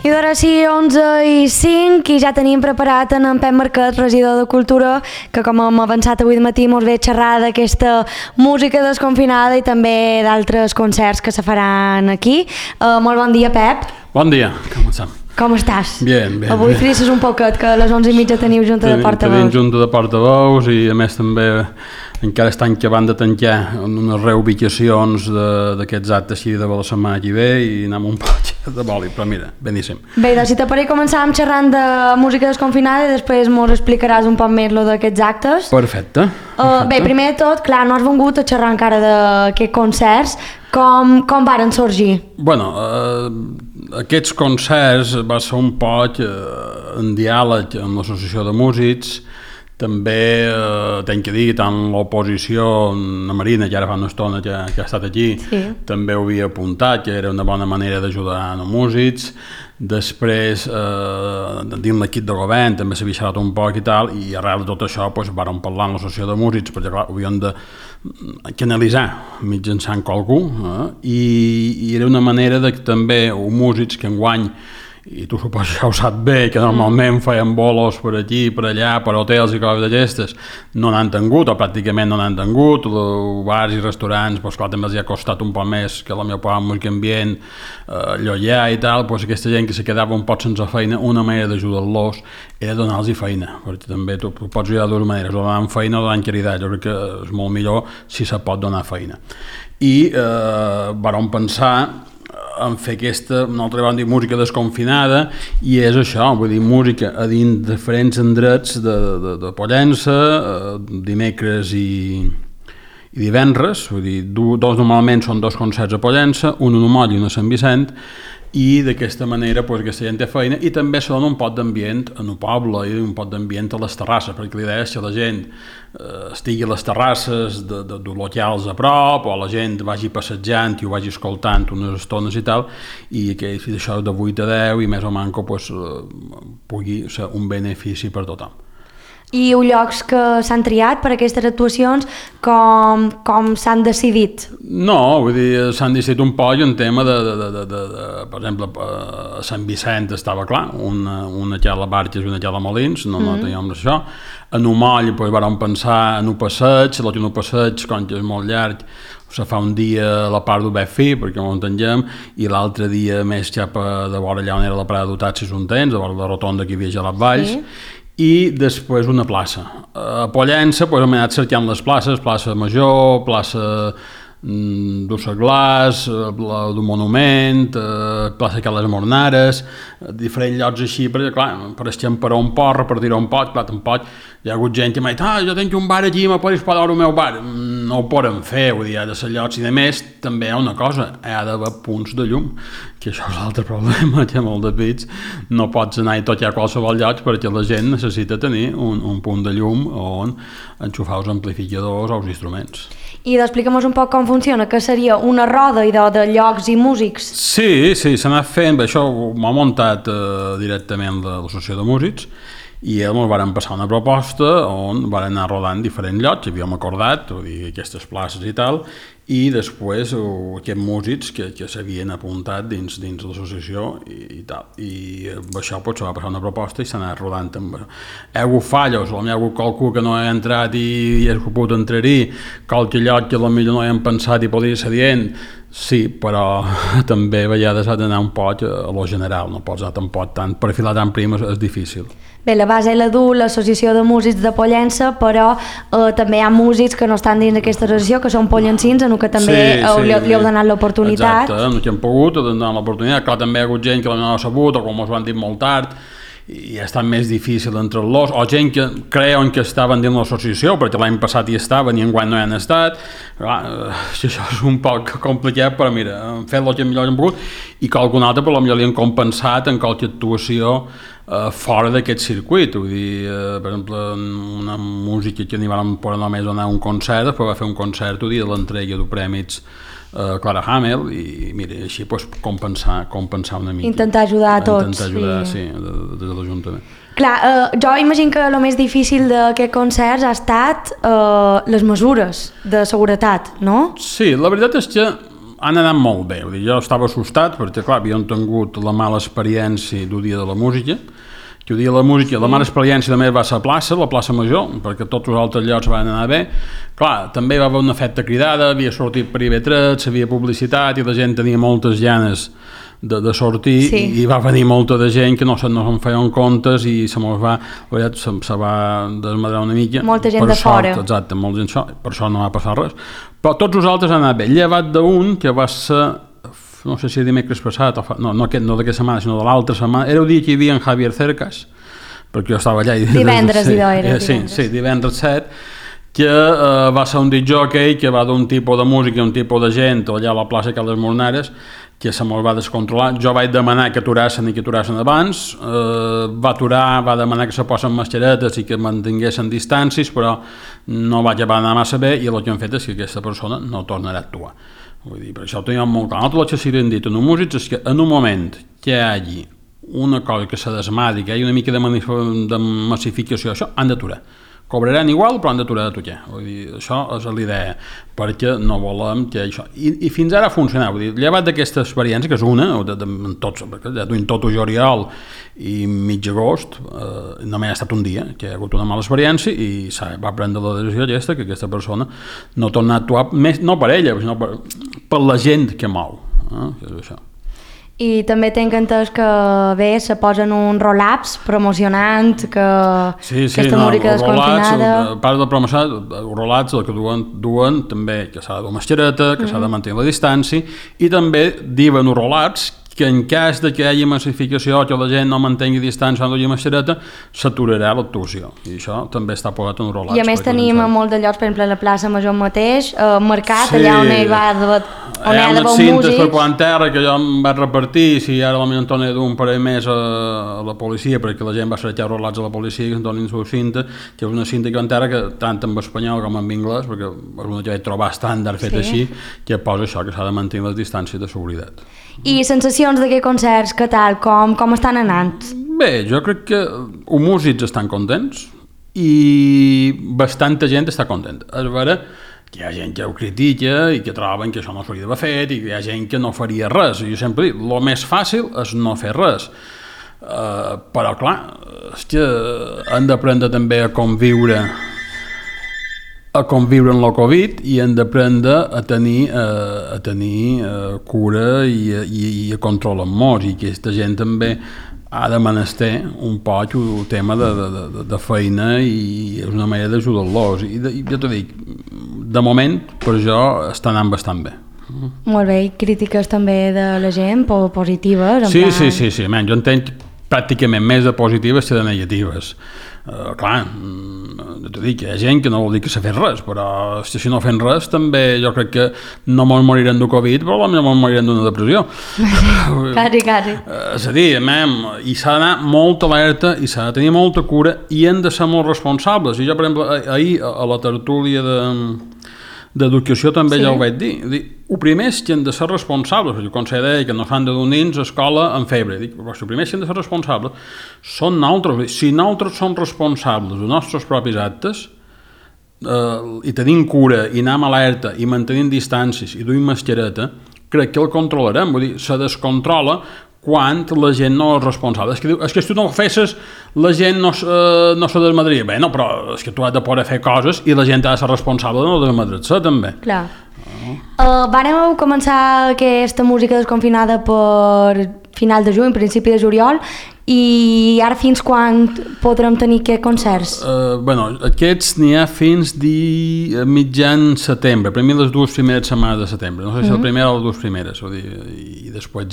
I d'ara sí, 11:05, i ja tenim preparat en Pep Marquet, regidor de Cultura, que com hem avançat avui de matí mos ve a xerrar d'aquesta música desconfinada i també d'altres concerts que se faran aquí. Molt bon dia, Pep. Bon dia, comencem. Com estàs? Bien. Avui frisses un poquet, que a les 11:30 teniu junta de portaveus. Tenim junta de portaveus i a més també encara estan acabant de tancar unes reubicacions d'aquests actes així de la setmana que ve i anem un poc de boli, però mira, beníssim. Bé, doncs si t'apareix començàvem xerrant de música desconfinada i després mos explicaràs un poc més lo d'aquests actes. Perfecte. Bé, primer de tot, clar, no has vingut a xerrar encara d'aquests concerts. Com varen sorgir? Bueno, aquests concerts va ser un poc en diàleg amb l'Associació de Músics. També tenc que dir, tant l'oposició, la Marina, que ara fa una estona que ha estat aquí, sí, també ho havia apuntat, que era una bona manera d'ajudar els músics. Després, dins l'equip de govern, també s'havia xerrat un poc i tal, i arrel de tot això vàrem parlar amb l'Associació de Músics, perquè clar, ho havíem de canalitzar mitjançant qualcú, i era una manera que també els músics que enguany, i tu suposo que ho saps bé, que normalment feien bolos per aquí, per allà, per hotels i coses d'aquestes, no n'han tingut, o pràcticament no n'han tingut. Bars i restaurants, doncs clar, també els ha costat un poc més que la meva part música ambient, llollar i tal, doncs aquesta gent que se quedava un poc sense feina, una manera d'ajudar-los era donar-los feina, perquè també tu pots ajudar de dues maneres, o donant feina o donant caritat. Jo crec que és molt millor si se pot donar feina. I vam pensar en fer aquesta, nosaltres vam dir música desconfinada, i és això, vull dir, música a dins diferents endrets de Pollença, dimecres i divendres, vull dir, dos normalment són dos concerts a Pollença, un a Moll i un a Sant Vicent, i d'aquesta manera aquesta gent té feina i també se dona un pot d'ambient en el poble i un pot d'ambient a les terrasses, perquè l'idea és que la gent estigui a les terrasses de locals a prop, o la gent vagi passejant i ho vagi escoltant unes estones i tal, i que això de 8 a 10 i més o manco pugui ser un benefici per tothom. I els llocs que s'han triat per aquestes actuacions, com s'han decidit? No, vull dir, s'han decidit un poc en tema per exemple, a Sant Vicent estava clar, una que a la Barques i una que a la Molins, no teníem això. A Moll vam pensar en un passeig, l'últim passeig, com que és molt llarg, se fa un dia a la part d'Obert Fi, perquè no ho entenguem, i l'altre dia més cap de vora allà on era la Prada d'Utats i Sontens, de vora la rotonda que hi havia a les Valls, sí. I després una plaça. A Pollença hem anat cercant les places, plaça Major, plaça d'Osseglàs, del Monument, plaça Cales Mornares, diferents llocs així, perquè clar, per escampar un pot, repartir un pot, clar, tampoc hi ha hagut gent que m'ha dit, jo tinc un bar aquí, me pots pagar el meu bar. No ho podem fer, vull dir, ha de ser llocs, i a més també hi ha una cosa, hi ha d'haver punts de llum, que això és l'altre problema, que molt de pits no pots anar i tocar a qualsevol lloc perquè la gent necessita tenir un punt de llum on enxufar els amplificadors o els instruments. I explica'm un poc com funciona, que seria una roda de llocs i músics? Sí, s'ha anat fent, això m'ha muntat directament l'Associació de Músics, i ells ens van passar una proposta on van anar rodant diferents llocs, havíem acordat, vull dir, aquestes places i tal, i després aquests músics que s'havien apuntat dins l'associació i tal. I això se va passar una proposta i s'ha anat rodant amb això. Hi ha hagut fallos, hi ha hagut qualcú que no ha entrat i ha pogut entrar-hi, qualque lloc que potser no hem pensat i podria ser dient, sí, però també a vegades ha d'anar un poc a lo general, no pots anar tampoc tant, perfilar tan prim és difícil. Bé, la base la du l'Associació de Músics de Pollença, però també hi ha músics que no estan dins d'aquesta associació, que són pollencins, en què també li heu donat l'oportunitat. Exacte, no que hem pogut donar l'oportunitat. Clar, també hi ha hagut gent que no ha sabut, o com us ho han dit molt tard, i ha estat més difícil entre-los, o gent que creuen que estaven dins l'associació, perquè l'any passat hi estaven i enguany no hi han estat. Això és un poc complicat, però mira, hem fet el que millor hem pogut, i que algun altre potser li han compensat en qualque actuació fora d'aquest circuit. Vull dir, per exemple, una música que n'hi vam poder només donar un concert, després va fer un concert el dia de l'entrega de premis Clara Hamel, i mira, així compensar una mica. Intentar ajudar a tots. Intentar ajudar, sí, des de l'Ajuntament. Clar, jo imagino que el més difícil d'aquests concerts ha estat les mesures de seguretat, no? Sí, la veritat és que han anat molt bé. Vull dir, jo estava assustat perquè, clar, havíem tingut la mala experiència del Dia de la Música, que el Dia de la Música, la mala experiència també va ser a la plaça Major, perquè tots els altres llocs van anar bé. Clar, també va haver un efecte cridada, havia sortit per IB3, havia publicitat i la gent tenia moltes ganes de sortir, i va venir molta de gent que no se'n feien comptes i se va desmadrar una mica. Molta gent de fora. Exacte, molta gent, per això no va passar res. Però tots els altres han anat bé, llevat d'un que va ser, no sé si dimecres passat, no d'aquesta setmana, sinó de l'altra setmana, era el dia que hi havia en Javier Cercas, perquè jo estava allà. Divendres, Sí, divendres 7, que va ser un discjòquei que va d'un tipus de música i un tipus de gent allà a la plaça Cal les Molnares, que se me'l va descontrolar. Jo vaig demanar que aturassen i que aturassen abans, va aturar, va demanar que se posen mascaretes i que mantinguessin distàncies, però no va acabar d'anar massa bé, i el que hem fet és que aquesta persona no tornarà a actuar. Vull dir, per això ho teníem molt clar. Nosaltres el que s'hi hem dit en els músics és que en un moment que hi hagi una cosa que se desmadri, que hi hagi una mica de massificació, això han d'aturar. Cobraran igual, però han d'aturar de tocar. Vull dir, això és l'idea, perquè no volem que això... I fins ara ha funcionat. Vull dir, llevat d'aquesta experiència, que és una, perquè ja duim tot el juliol i mig agost, només ha estat un dia, que hi ha hagut una mala experiència i va prendre la decisió que aquesta persona no torna a actuar, més, no per ella, sinó per la gent que mou. Que és això. I també tinc entès que bé, se posen un roll-ups promocionant que aquesta música desconfinada... A part de promocionar, els roll-ups el que duen també que s'ha de dur mascareta, que s'ha de mantenir la distància, i també diuen els roll-ups que en cas de que hi hagi massificació, que la gent no mantengui distància o no hi hagi mascareta, s'aturarà l'actuació. I això també està posat en roll-ups. I a més tenim a molt de llocs, per exemple, a la plaça Major mateix, mercat, allà on hi va on hi ha d'haver un músic. Per quan terra que jo em vaig repartir, si ara potser en torno d'un parell més a la policia, perquè la gent va cercar roll-ups a la policia, que en donin su cinta, que és una cinta que en terra que tant en espanyol com en anglès, perquè és una que vaig trobar estàndard fet així, que posa això, que s'ha de mantenir les distàncies de seguretat. I sensacions d'aquests concerts, què tal? Com estan anant? Bé, jo crec que els músics estan contents i bastanta gent està contenta. És vera que hi ha gent que ho critica i que troben que això no s'hauria d'haver fet i que hi ha gent que no faria res. Jo sempre dic, el més fàcil és no fer res. Però clar, és que han d'aprendre també a conviure amb la Covid i han d'aprendre a tenir cura i a controlar molts, i aquesta gent també ha de menester un poc el tema de feina i és una manera d'ajudar-los. I jo t'ho dic, de moment per jo està anant bastant bé. Molt bé, i crítiques també de la gent positives? Sí, jo entenc pràcticament més de positives que de negatives. Clar, t'ho dic, hi ha gent que no vol dir que s'ha fet res, però si no fem res també jo crec que no mos morirem de Covid, però potser mos morirem d'una depressió. Quasi. És a dir, i s'ha d'anar molt alerta i s'ha de tenir molta cura i hem de ser molt responsables. I jo, per exemple, ahir a la tertúlia d'educació també ja ho vaig dir. El primer és que hem de ser responsables, perquè el Consell deia que no s'han de dur nens a escola amb febre. Dic, però el primer és que hem de ser responsables són nosaltres. Si nosaltres som responsables dels nostres propis actes i tenim cura i anem alerta i mantenim distàncies i duim mascareta, crec que el controlarem. Vull dir, se descontrola quan la gent no és responsable. És que si tu no ho fessis, la gent no se desmadria. Bé, no, però és que tu has de poder fer coses i la gent ha de ser responsable de no desmadrar-se, també. Clar. Vàrem començar aquesta música desconfinada per final de juny, principi de juliol, i ara fins quan podrem tenir aquests concerts? Aquests n'hi ha fins mitjan setembre, per mi les dues primeres setmanes de setembre, no sé si la primera o les dues primeres, i després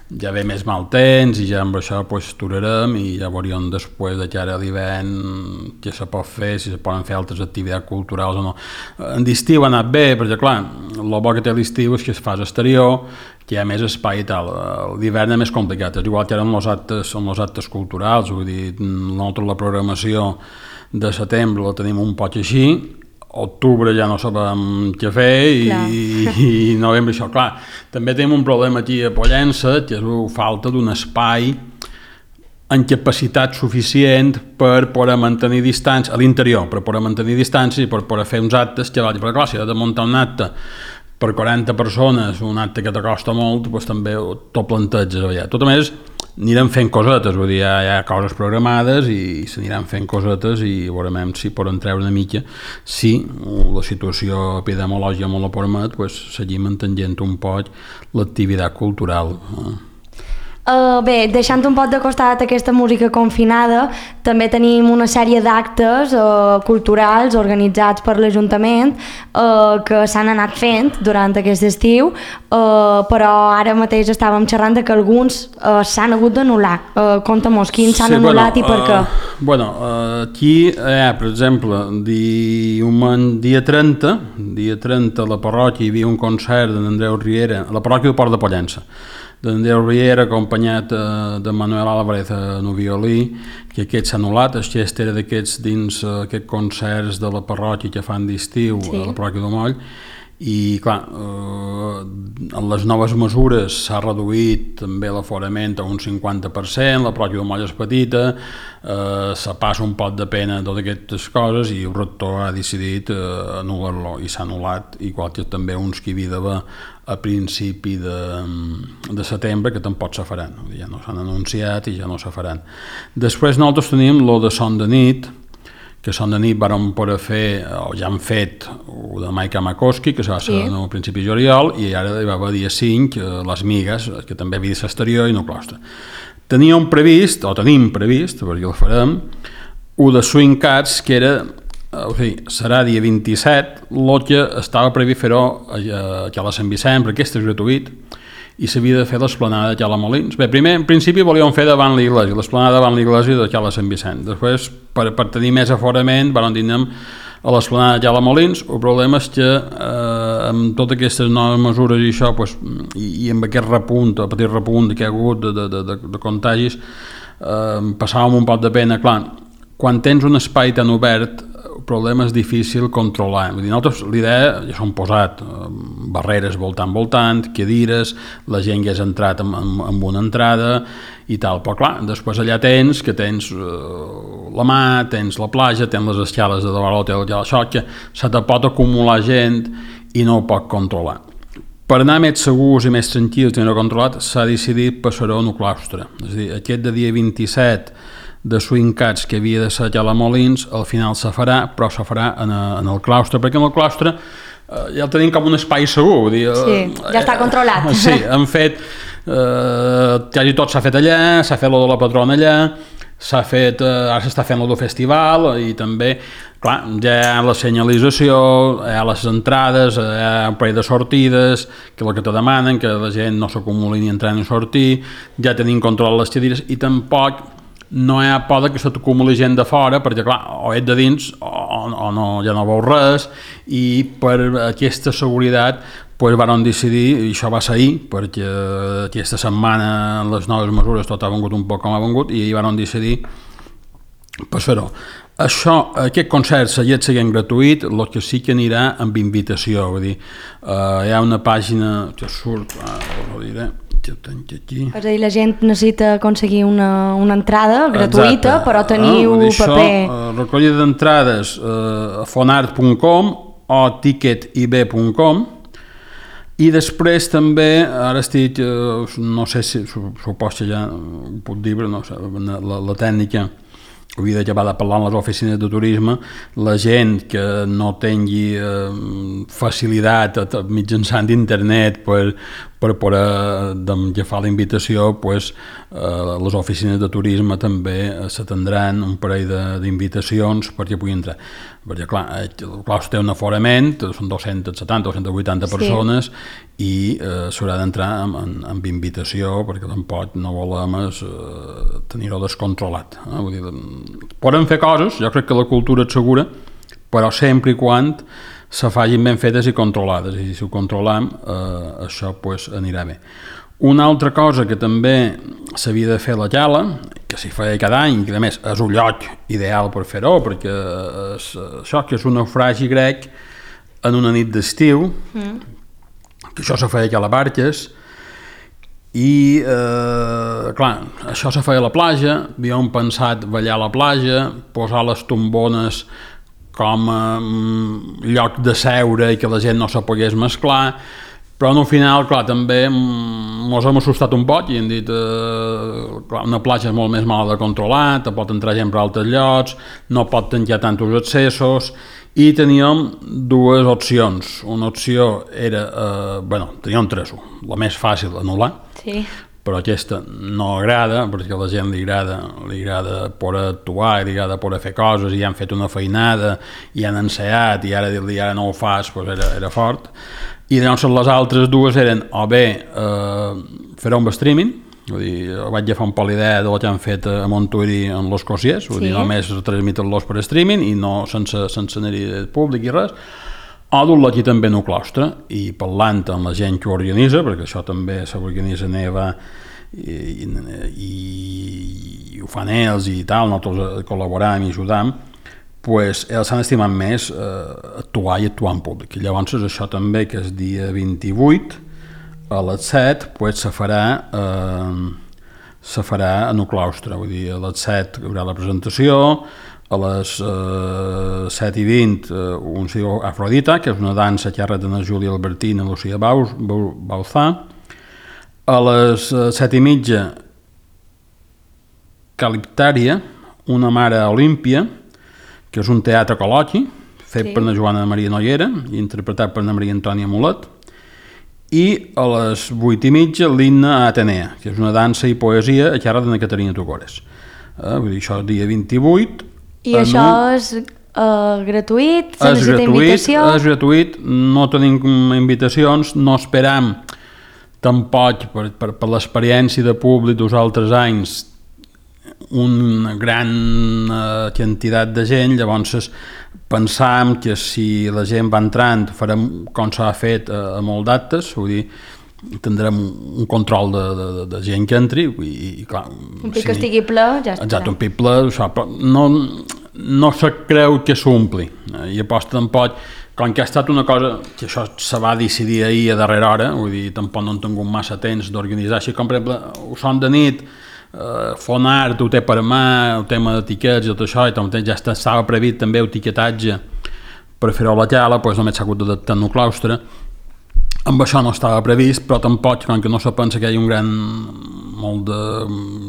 ja ve més mal temps i ja amb això aturarem i ja veuríem després de cara a l'hivern què se pot fer, si se poden fer altres activitats culturals o no. En l'estiu ha anat bé, perquè clar, el bo que té l'estiu és que es fa exterior, que hi ha més espai i tal. L'hivern és més complicat, és igual que ara amb els actes culturals, vull dir, nosaltres la programació de setembre la tenim un poc així, octubre ja no sabem què fer i novembre això, clar. També tenim un problema aquí a Pollença, que és la falta d'un espai amb capacitat suficient per poder mantenir distància a l'interior, per poder mantenir distància i per poder fer uns actes que vagin. Perquè clar, si ha de muntar un acte per 40 persones, un acte que t'acosta molt, doncs també t'ho planteges allà. Tot a més, anirem fent cosetes, vull dir, hi ha coses programades i s'aniran fent cosetes i veurem si poden treure una mica. Si la situació epidemiològica molt ho permet, doncs seguim entenent un poc l'activitat cultural. Bé, deixant un poc de costat aquesta música confinada, també tenim una sèrie d'actes culturals organitzats per l'Ajuntament que s'han anat fent durant aquest estiu, però ara mateix estàvem xerrant de que alguns s'han hagut d'anul·lar. Conta-mos, quins s'han anul·lat i per què? Aquí hi ha, per exemple, dia 30 a la parròquia hi havia un concert d'Andreu Riera, a la parròquia del Port de Pollença, d'Andreu Riera, acompanyat de Manuel Álvarez en el violí, que aquest s'ha anul·lat. El gest era d'aquests dins aquests concerts de la parròquia que fan d'estiu a la parròquia de Moll, i clar, en les noves mesures s'ha reduït també l'aforament a un 50%, la parròquia de Moll és petita, se passa un pot de pena totes aquestes coses i el rector ha decidit anul·lar-lo i s'ha anul·lat, igual que també uns que hi havia d'haver a principi de setembre, que tampoc se faran, ja no s'han anunciat i ja no se faran. Després nosaltres tenim lo de Son de Nit, que Son de Nit vàrem poder fer, o ja han fet, el de Maica Makoski, que va ser a principi de juliol, i ara hi va haver dia 5, les Migues, que també havia de ser exterior i no claustre. Tenim previst, perquè el farem, el de Swing Cats, que era, serà dia 27, el que estava previst fer-ho a la Sant Vicent, perquè aquest és gratuït, i s'havia de fer l'esplanada de Cala Molins. Bé, primer, en principi, volíem fer davant l'església, l'esplanada davant l'església de Cala Sant Vicent. Després, per tenir més aforament, vam dir a l'esplanada de Cala Molins. El problema és que amb totes aquestes noves mesures i això, i amb aquest repunt, el petit repunt que hi ha hagut de contagis, passàvem un poc de pena. Clar, quan tens un espai tan obert, el problema és difícil controlar. Vull dir, nosaltres l'idea ja s'han posat barreres voltant, cadires, la gent ja has entrat amb una entrada i tal, però clar, després allà tens la mà, tens la platja, tens les escales de davant l'hotel, això que se te pot acumular gent i no ho pot controlar. Per anar més segurs i més tranquils i no controlat, s'ha decidit passar-ho en el claustre. És a dir, aquest de dia 27 de Swing Cats que havia de ser a la Molins, al final se farà, però se farà en el claustre, perquè en el claustre ja el tenim com un espai segur. Vull dir, ja està controlat. Sí, han fet, quasi tot s'ha fet allà, s'ha fet lo de la patrona allà, s'ha fet, ara s'està fent lo del festival i també, clar, ja hi ha la senyalització, hi ha les entrades, hi ha un parell de sortides, que és el que te demanen, que la gent no s'acumuli ni entrar ni sortir, ja tenim control les cadires i tampoc no hi ha por que se t'acumuli gent de fora, perquè clar, o ets de dins o no, ja no veus res, i per aquesta seguretat van decidir, i això va ser ahir, perquè aquesta setmana en les noves mesures tot ha vengut un poc com ha vengut, i ahir van decidir passar-ho. Aquest concert seguint gratuït, el que sí que anirà amb invitació, vull dir, hi ha una pàgina que surt, ho diré, és a dir, la gent necessita aconseguir una entrada gratuïta, però teniu paper. Recollida d'entrades a fonart.com o ticketib.com, i després també, ara estic, no sé si supos que ja ho puc dir, però no sé, la tècnica havia d'acabar de parlar amb les oficines de turisme, la gent que no tingui facilitat mitjançant internet per poder agafar la invitació, les oficines de turisme també s'atendran un parell d'invitacions perquè pugui entrar. Perquè clar, el claustre té un aforament, són 270 o 280 persones, i s'haurà d'entrar amb invitació, perquè tampoc no volem tenir-ho descontrolat. Vull dir, podem fer coses, jo crec que la cultura és segura, però sempre i quan se facin ben fetes i controlades, i si ho controlem això anirà bé. Una altra cosa que també s'havia de fer a la Cala, que s'hi feia cada any, que a més és un lloc ideal per fer-ho, perquè això que és un naufragi grec en una nit d'estiu, que això se feia a les barques, i clar, això se feia a la platja, havíem pensat ballar a la platja, posar les tombones com a lloc de seure i que la gent no se pogués mesclar, però al final, clar, també ens hem assustat un poc i hem dit clar, una platja és molt més mala de controlar, te pot entrar gent per altres llocs, no pot tancar tants accessos, i teníem dues opcions. Una opció era, teníem tres, la més fàcil, anul·lar, sí. Però aquesta no agrada, perquè a la gent li agrada poder actuar, li agrada poder fer coses, i han fet una feinada, i han ensaiat, i ara dir-li ara no ho fas, doncs era fort. I llavors les altres dues eren o bé fer un streaming, vull dir, vaig agafar un poc l'idea del que han fet a Montuïri en los Cosiers, vull dir, només transmiten-los per streaming i no sense anar-hi públic i res, o dur-la aquí també en el claustre i parlant amb la gent que ho organitza, perquè això també s'organitza neva i ho fan ells i tal, nosaltres col·laboram i ajudam, pues ells s'han estimat més actuar en públic. I llavors això també, que és dia 28 a les 7, pues se farà en el claustre, vull dir, a les 7 hi haurà la presentació, a les 7:20 un sigo Afrodita, que és una dansa que ha retat a Júlia Albertina i Lucía Bauzà. A les 7:30 Caliptària, una mare Olímpia, que és un teatre col·loqui, fet per la Joana Maria Noguera i interpretat per la Maria Antònia Mulet. I a les 8:30 l'Himne a Atenea, que és una dansa i poesia a càrrec de Caterina Tugores. Vull dir, això dia 28. I això és gratuït? Se necessita invitació? És gratuït, no tenim invitacions, no esperam tampoc per l'experiència de públic dels altres anys una gran quantitat de gent, llavors pensam que si la gent va entrant farem com s'ha fet a molt d'actes, vull dir, tindrem un control de gent que entri i clar, un pic que estigui ple ja estarà. Exacte, un pic ple, no se creu que s'ompli i aposta tampoc, com que ha estat una cosa que això se va decidir ahir a darrera hora, vull dir, tampoc no han tingut massa temps d'organitzar, així com per exemple ho són de nit, Fonart ho té per mà, el tema d'etiquets i tot això, i també ja estava previst també el etiquetatge per fer-ho a la tela, doncs només s'ha hagut d'adaptar en el claustre. Amb això no estava previst, però tampoc, com que no se pensa que hi ha molt de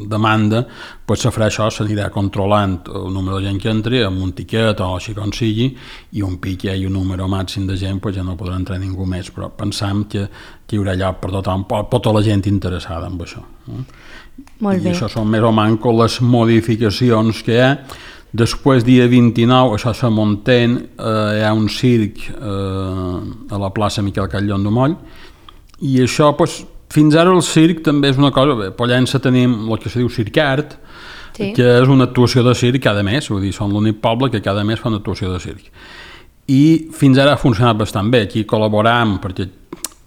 demanda, doncs se farà això, s'anirà controlant el número de gent que entri, amb un tiquet o així com sigui, i un pic hi ha un número màxim de gent, doncs ja no podrà entrar ningú més, però pensam que hi haurà lloc per tota la gent interessada en això. Molt bé. I això són més o menys les modificacions que hi ha. Després, dia 29, això se munten, hi ha un circ a la plaça Miquel Catllon de Moll, i això, fins ara el circ també és una cosa, a Pollença tenim el que se diu Circart, que és una actuació de circ cada mes, vull dir, són l'únic poble que cada mes fa una actuació de circ. I fins ara ha funcionat bastant bé, aquí col·laboram, perquè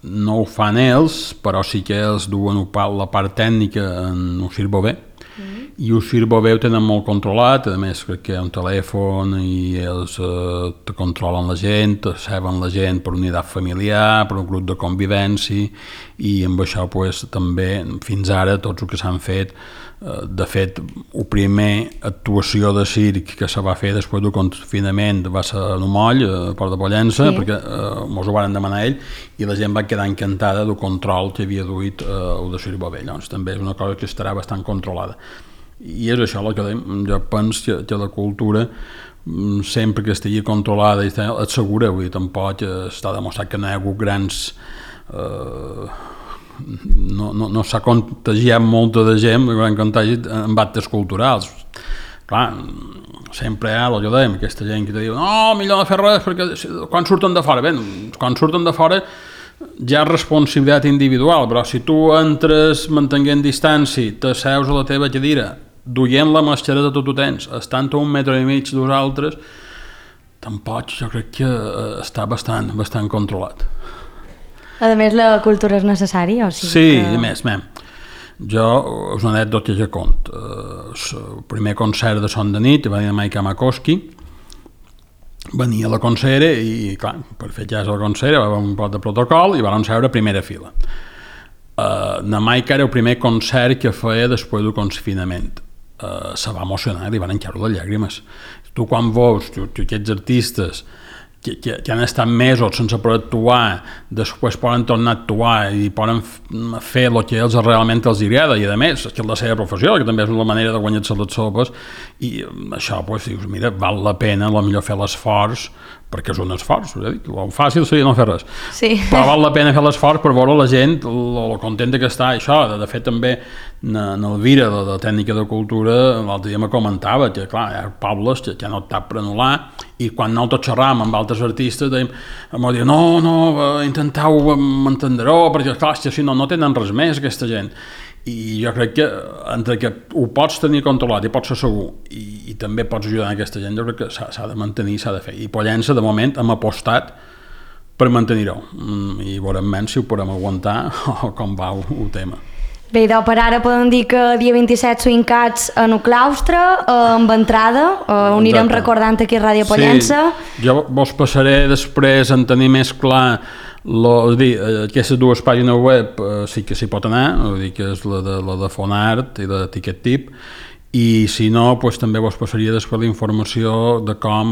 no ho fan ells, però sí que ells duen la part tècnica en el Circ Bové, i el Circ Bové ho tenen molt controlat, a més crec que hi ha un telèfon i ells te controlen la gent, te ceben la gent per unitat familiar, per un grup de convivència, i amb això també fins ara tots els que s'han fet, de fet la primera actuació de circ que se va fer després del confinament va ser a Moll, a Port de Pollença, perquè mos ho van demanar ell, i la gent va quedar encantada del control que havia duit el de Circ Bové. Llavors també és una cosa que estarà bastant controlada. I és això el que jo penso que la cultura sempre que estigui controlada és segura, vull dir, tampoc està demostrat que no hi ha hagut grans no s'ha contagiat molta de gent, gran contagi en actes culturals. Clar, sempre hi ha, el que dèiem, aquesta gent que te diu no, millor no fer res perquè quan surten de fora, bé, quan surten de fora ja és responsabilitat individual, però si tu entres mantenint distància, t'asseus a la teva cadira, duient la mascareta tot ho tens, estant a 1,5 metres d'usaltres, tampoc jo crec que està bastant controlat. A més, la cultura és necessària? O sigui sí, a més, jo és una anècdota que conto. El primer concert de Son de Nit va dir a Maica Makoski, venia a la concert i, clar, per fer cas a la concert va haver un pot de protocol i van seure a primera fila. Na Maica era el primer concert que feia després del confinament. se va emocionar, li van encaure les llàgrimes. Tu quan veus aquests artistes que han estat mesos sense poder actuar, després poden tornar a actuar i poden fer el que ells realment els agrada, i a més, és la seva professió, que també és una manera de guanyar-se les sopes, i això, doncs, dius, mira, val la pena potser fer l'esforç, perquè és un esforç, el fàcil seria no fer res, sí. Però val la pena fer l'esforç per veure la gent lo contenta que està. Això, de fet, també en Elvira, de Tècnica de Cultura, l'altre dia me comentava que, clar, hi ha pobles que han optat per anul·lar, i quan nosaltres xerràvem amb altres artistes em diuen, no, intenteu m'entendreu, perquè, clar, si no tenen res més aquesta gent. I jo crec que entre que ho pots tenir controlat i pots ser segur i també pots ajudar a aquesta gent, jo crec que s'ha de mantenir, s'ha de fer. I Pollença, de moment, hem apostat per mantenir-ho, i veurem menys si ho podem aguantar o com va el tema. Bé, per ara podem dir que dia 27 Swincats en el claustre, amb entrada, ho anirem recordant aquí a Ràdio Pollença. Sí, jo vos passaré després en tenir més clar aquestes dues pàgines web, sí que s'hi pot anar, que és la de Fonart i de Ticket Tip, i si no, també vos passaria després la informació de com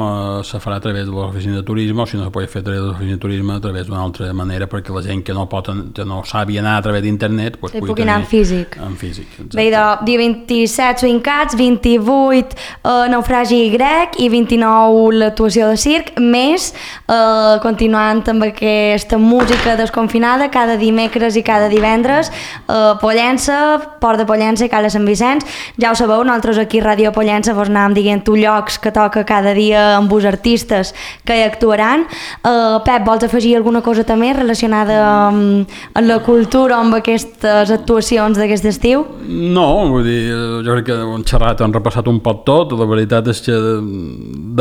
se farà a través de l'oficina de turisme, o si no se pot fer a través de l'oficina de turisme a través d'una altra manera, perquè la gent que no sabi anar a través d'internet pugui anar en físic. Bé, dia 27 Swincats, 28 Naufragi grec i 29 l'actuació de circ, més continuant amb aquesta música desconfinada cada dimecres i cada divendres, Pollença, Port de Pollença i Cala Sant Vicenç. Ja ho sabeu, nosaltres aquí a Ràdio Pollença vos anàvem dient llocs que toca cada dia amb els artistes que hi actuaran. Pep, vols afegir alguna cosa també relacionada amb la cultura o amb aquestes actuacions d'aquest estiu? No, vull dir, jo crec que hem xerrat, hem repassat un poc tot. La veritat és que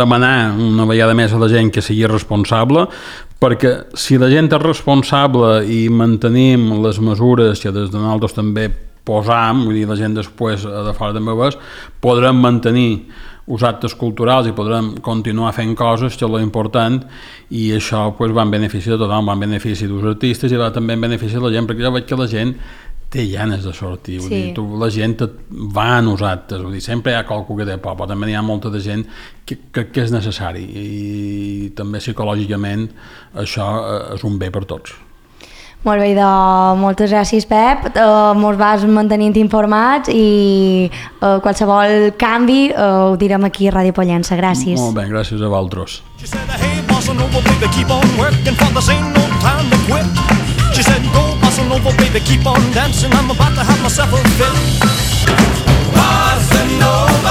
demanar una vegada més a la gent que sigui responsable, perquè si la gent és responsable i mantenim les mesures que des de nosaltres també posam, vull dir, la gent després de fora també ho és, podrem mantenir els actes culturals i podrem continuar fent coses, que és l'important, i això va en benefici de tothom, va en benefici dels artistes i va també en benefici de la gent, perquè jo veig que la gent té ganes de sortir, vull dir, la gent va a nosaltres, vull dir, sempre hi ha qualcú que té por, però també hi ha molta de gent que és necessari, i també psicològicament això és un bé per tots. Molt bé, moltes gràcies, Pep, mos vas mantenint informats i qualsevol canvi ho direm aquí a Ràdio Pollença. Gràcies. Molt bé, gràcies a vosaltres. She said, keep on working for this ain't no time to quit. She said, go bossa nova, baby, keep on dancing, I'm about to have myself a fit. Bossa nova.